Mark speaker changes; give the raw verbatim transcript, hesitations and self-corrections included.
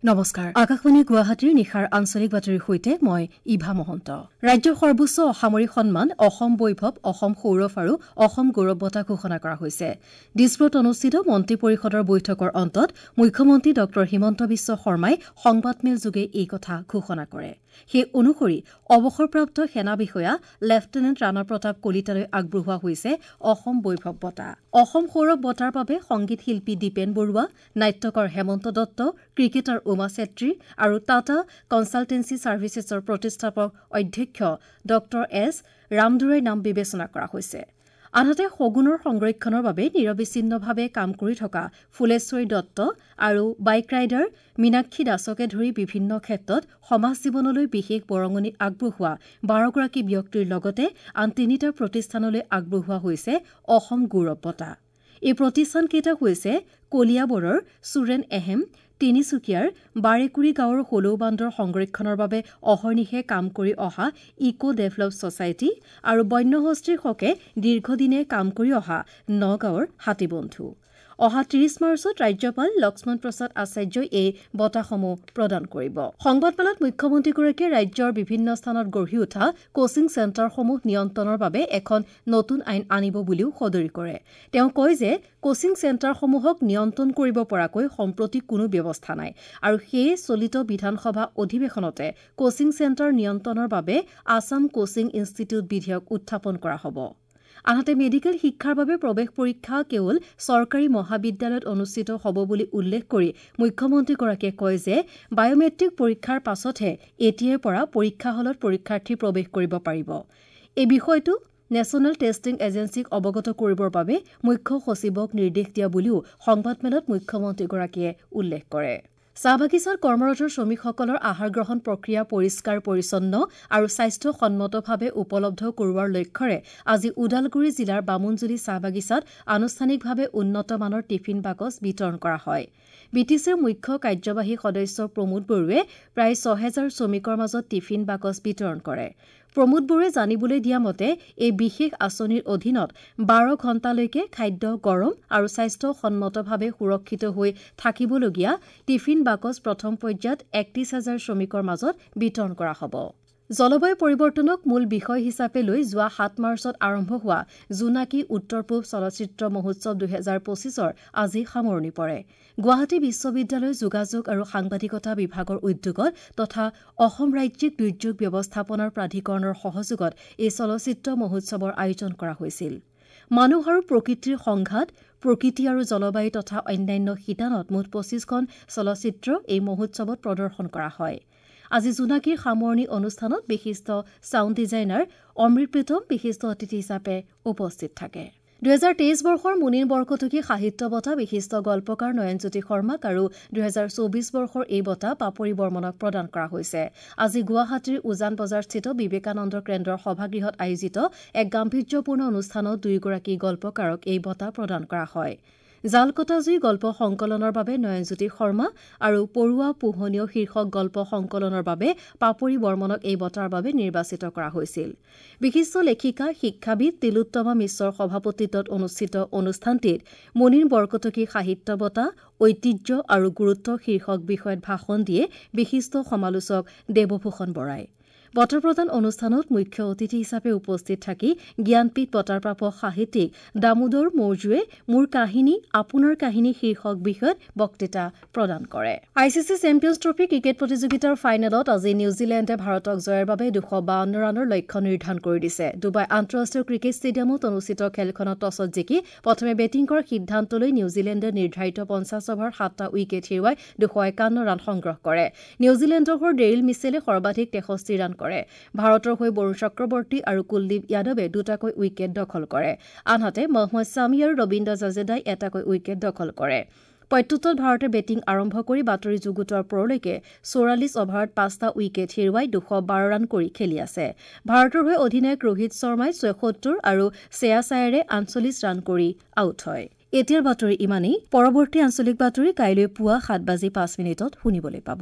Speaker 1: নমস্কাৰ, আকাশবাণী গুৱাহাটীৰ নিশাৰ আঞ্চলিক বাতৰিৰ সৈতে মই ইভা মহন্ত। ৰাজ্যৰ সৰ্বোচ্চ অসামৰিক সন্মান অসম বৈভৱ, অসম সৌৰভ আৰু অসম গৌৰৱ বঁটা ঘোষণা কৰা হৈছে। দিছপুৰত অনুষ্ঠিত মন্ত্ৰী পৰিষদৰ বৈঠকৰ অন্তত মুখ্যমন্ত্ৰী ডঃ হিমন্ত বিশ্ব শৰ্মাই সংবাদমেলযোগে এই কথা ঘোষণা কৰে। সেই অনুসৰি অৱসৰপ্ৰাপ্ত সেনা বিষয়া লেফটেনেণ্ট ৰাণা প্ৰতাপ কলিতালৈ আগবঢ়োৱা হৈছে অসম বৈভৱ বঁটা। অসম সৌৰভ বঁটাৰ বাবে সংগীত শিল্পী দীপেন বৰুৱা, নাট্যকাৰ হেমন্ত দত্ত, ক্ৰিকেটাৰ উমা চেত্ৰী আৰু টাটা কনছালটেন্সি ছাৰ্ভিচেছৰ প্ৰতিষ্ঠাপক অধ্যক্ষ ডঃ এছ ৰামদুৰাইৰ নাম বিবেচনা কৰা হৈছে। আনহাতে শগুনৰ সংৰক্ষণৰ বাবে নিৰবিচ্ছিন্নভাৱে কাম কৰি থকা ফুলেশ্বৰী দত্ত আৰু বাইক ৰাইডাৰ মীনাক্ষী দাসকে ধৰি বিভিন্ন ক্ষেত্ৰত সমাজ জীৱনলৈ বিশেষ বৰঙণি আগবঢ়োৱা বাৰগৰাকী ব্যক্তিৰ লগতে আন তিনিটা প্ৰতিষ্ঠানলৈ আগবঢ়োৱা হৈছে অসম গৌৰৱ বঁটা। এই প্ৰতিষ্ঠানকেইটা হৈছে কলিয়াবৰৰ চুৰেন এহেম, তিনিচুকীয়াৰ বাৰেকুৰি গাঁৱৰ হলৌ বান্দৰ সংৰক্ষণৰ বাবে অহৰ্নিশে কাম কৰি অহা ইক' ডেভেলপ ছচাইটি আৰু বন্যহস্তীৰ হকে দীৰ্ঘদিনে কাম কৰি অহা নগাঁৱৰ হাতীবন্ধু। অহা ত্ৰিশ মাৰ্চত ৰাজ্যপাল লক্ষ্মণ প্ৰসাদ আচাৰ্যই এই বঁটাসমূহ প্ৰদান কৰিব। সংবাদমেলত মুখ্যমন্ত্ৰীগৰাকীয়ে ৰাজ্যৰ বিভিন্ন স্থানত গঢ়ি উঠা কোচিং চেণ্টাৰসমূহ নিয়ন্ত্ৰণৰ বাবে এখন নতুন আইন আনিব বুলিও সদৰি কৰে। তেওঁ কয় যে কোচিং চেণ্টাৰসমূহক নিয়ন্ত্ৰণ কৰিব পৰাকৈ সম্প্ৰতি কোনো ব্যৱস্থা নাই আৰু সেয়ে চলিত বিধানসভা অধিৱেশনতে কোচিং চেণ্টাৰ নিয়ন্ত্ৰণৰ বাবে আছাম কোচিং ইনষ্টিটিউট বিধেয়ক উত্থাপন কৰা হ'ব। আনহাতে মেডিকেল শিক্ষাৰ বাবে প্ৰৱেশ পৰীক্ষা কেৱল চৰকাৰী মহাবিদ্যালয়ত অনুষ্ঠিত হ'ব বুলি উল্লেখ কৰি মুখ্যমন্ত্ৰীগৰাকীয়ে কয় যে বায়'মেট্ৰিক পৰীক্ষাৰ পাছতহে এতিয়াৰ পৰা পৰীক্ষা হলত পৰীক্ষাৰ্থী প্ৰৱেশ কৰিব পাৰিব। এই বিষয়টো নেশ্যনেল টেষ্টিং এজেঞ্চিক অৱগত কৰিবৰ বাবে মুখ্য সচিবক নিৰ্দেশ দিয়া বুলিও সংবাদমেলত মুখ্যমন্ত্ৰীগৰাকীয়ে উল্লেখ কৰে। চাহ বাগিচাত কৰ্মৰত শ্ৰমিকসকলৰ আহাৰ গ্ৰহণ প্ৰক্ৰিয়া পৰিষ্কাৰ পৰিচ্ছন্ন আৰু স্বাস্থ্যসন্মতভাৱে উপলব্ধ কৰোৱাৰ লক্ষ্যৰে আজি ওদালগুৰি জিলাৰ বামুণজুলি চাহ বাগিচাত আনুষ্ঠানিকভাৱে উন্নত মানৰ টিফিন বাকচ বিতৰণ কৰা হয়। বি টি চিৰ মুখ্য কাৰ্যবাহী সদস্য প্ৰমোদ বড়োৱে প্ৰায় ছহেজাৰ শ্ৰমিকৰ মাজত টিফিন বাকচ বিতৰণ কৰে। প্ৰমোদ বড়োৱে জানিবলৈ দিয়া মতে এই বিশেষ আঁচনিৰ অধীনত বাৰ ঘণ্টালৈকে খাদ্য গৰম আৰু স্বাস্থ্যসন্মতভাৱে সুৰক্ষিত হৈ থাকিবলগীয়া টিফিন বাকচ প্ৰথম পৰ্যায়ত একত্ৰিশ হাজাৰ শ্ৰমিকৰ মাজত বিতৰণ কৰা হ'ব। জলবায়ু পৰিৱৰ্তনক মূল বিষয় হিচাপে লৈ যোৱা সাত মাৰ্চত আৰম্ভ হোৱা জোনাকী উত্তৰ পূব চলচ্চিত্ৰ মহোৎসৱ দুহেজাৰ পঁচিছৰ আজি সামৰণি পৰে। গুৱাহাটী বিশ্ববিদ্যালয়ৰ যোগাযোগ আৰু সাংবাদিকতা বিভাগৰ উদ্যোগত তথা অসম ৰাজ্যিক দুৰ্যোগ ব্যৱস্থাপনাৰ প্ৰাধিকৰণৰ সহযোগত এই চলচ্চিত্ৰ মহোৎসৱৰ আয়োজন কৰা হৈছিল। মানুহ আৰু প্ৰকৃতিৰ সংঘাত, প্ৰকৃতি আৰু জলবায়ু তথা অন্যান্য শিতানত মুঠ পঁচিছখন চলচ্চিত্ৰ এই মহোৎসৱত প্ৰদৰ্শন কৰা হয়। আজি জোনাকীৰ সামৰণি অনুষ্ঠানত বিশিষ্ট ছাউণ্ড ডিজাইনাৰ অমৃত প্ৰীতম বিশিষ্ট অতিথি হিচাপে উপস্থিত থাকে। দুহেজাৰ তেইছ বৰ্ষৰ মুনীন বৰকটকী সাহিত্য বঁটা বিশিষ্ট গল্পকাৰ নয়নজ্যোতি শৰ্মাক আৰু দুহেজাৰ চৌবিছ বৰ্ষৰ এই বঁটা পাপৰি বৰ্মনক প্ৰদান কৰা হৈছে। আজি গুৱাহাটীৰ উজান বজাৰস্থিত বিবেকানন্দ কেন্দ্ৰৰ সভাগৃহত আয়োজিত এক গাম্ভীৰ্যপূৰ্ণ অনুষ্ঠানত দুয়োগৰাকী গল্পকাৰক এই বঁটা প্ৰদান কৰা হয়। জালকটা জুই গল্প সংকলনৰ বাবে নয়নজ্যোতি শৰ্মা আৰু পৰুৱা পোহনীয় শীৰ্ষক গল্প সংকলনৰ বাবে পাপৰি বৰ্মনক এই বঁটাৰ বাবে নিৰ্বাচিত কৰা হৈছিল। বিশিষ্ট লেখিকা শিক্ষাবিদ তিলোত্তমা মিশ্ৰৰ সভাপতিত্বত অনুষ্ঠিত অনুষ্ঠানটিত মুনীন বৰকটকী সাহিত্য বঁটা ঐতিহ্য আৰু গুৰুত্ব শীৰ্ষক বিষয়ত ভাষণ দিয়ে বিশিষ্ট সমালোচক দেৱভূষণ বৰাই। বঁটা প্ৰদান অনুষ্ঠানত মুখ্য অতিথি হিচাপে উপস্থিত থাকি জ্ঞানপীঠ বঁটাৰ প্ৰাপক সাহিত্যিক দামোদৰ মৌজুৱে মোৰ কাহিনী আপোনাৰ কাহিনী শীৰ্ষক বিষয়ত বক্তৃতা প্ৰদান কৰে। I C C Champions Trophy cricket প্ৰতিযোগিতাৰ ফাইনেলত আজি নিউজিলেণ্ডে ভাৰতক জয়ৰ বাবে দুশ বাৱন্ন ৰানৰ লক্ষ্য নিৰ্ধাৰণ কৰি দিছে। ডুবাই আন্তঃৰাষ্ট্ৰীয় ক্ৰিকেট ষ্টেডিয়ামত অনুষ্ঠিত খেলখনত টছত জিকি প্ৰথমে বেটিং কৰাৰ সিদ্ধান্ত লৈ নিউজিলেণ্ডে নিৰ্ধাৰিত পঞ্চাছ অভাৰত সাতটা উইকেট হেৰুৱাই দুশ একাৱন্ন ৰান সংগ্ৰহ কৰে। নিউজিলেণ্ডৰ হৈ ডেৰিল মিছেলে সৰ্বাধিক তেষষ্ঠি ৰান কৰে। ভাৰতৰ হৈ বৰুণ চক্ৰৱৰ্তী আৰু কুলদীপ যাদৱে দুটাকৈ উইকেট দখল কৰে। আনহাতে মহম্মদ ছামী আৰু ৰবীন্দ্ৰ জাদেজাই এটাকৈ উইকেট দখল কৰে। প্ৰত্যুত্তৰত ভাৰতে বেটিং আৰম্ভ কৰি বাতৰি যুগুতোৱাৰ পৰলৈকে চৌৰাল্লিছ অভাৰত পাঁচটা উইকেট হেৰুৱাই দুশ বাৰ ৰান কৰি খেলি আছে। ভাৰতৰ হৈ অধিনায়ক ৰোহিত শৰ্মাই ছয়সত্তৰ আৰু শ্ৰেয়াছ আয়াৰে আঠচল্লিছ ৰান কৰি আউট হয়। এতিয়াৰ বাতৰি ইমানেই। পৰৱৰ্তী আঞ্চলিক বাতৰি কাইলৈ পুৱা সাত বাজি পাঁচ মিনিটত শুনিবলৈ পাব।